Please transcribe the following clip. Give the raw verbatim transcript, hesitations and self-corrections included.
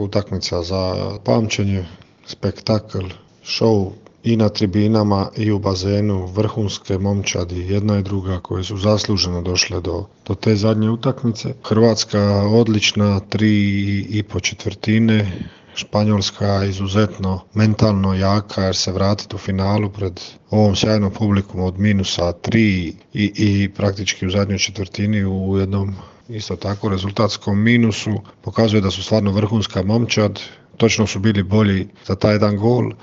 Utakmica za pamćenje, spektakl, show i na tribinama i u bazenu, vrhunske momčadi, jedna i druga koje su zasluženo došle do, do te zadnje utakmice. Hrvatska odlična, tri i po četvrtine, Španjolska izuzetno mentalno jaka jer se vratiti u finalu pred ovom sjajnom publikom od minusa tri i, i praktički u zadnjoj četvrtini u jednom isto tako rezultatskom minusu pokazuje da su stvarno vrhunska momčad. Točno su bili bolji za taj jedan gol,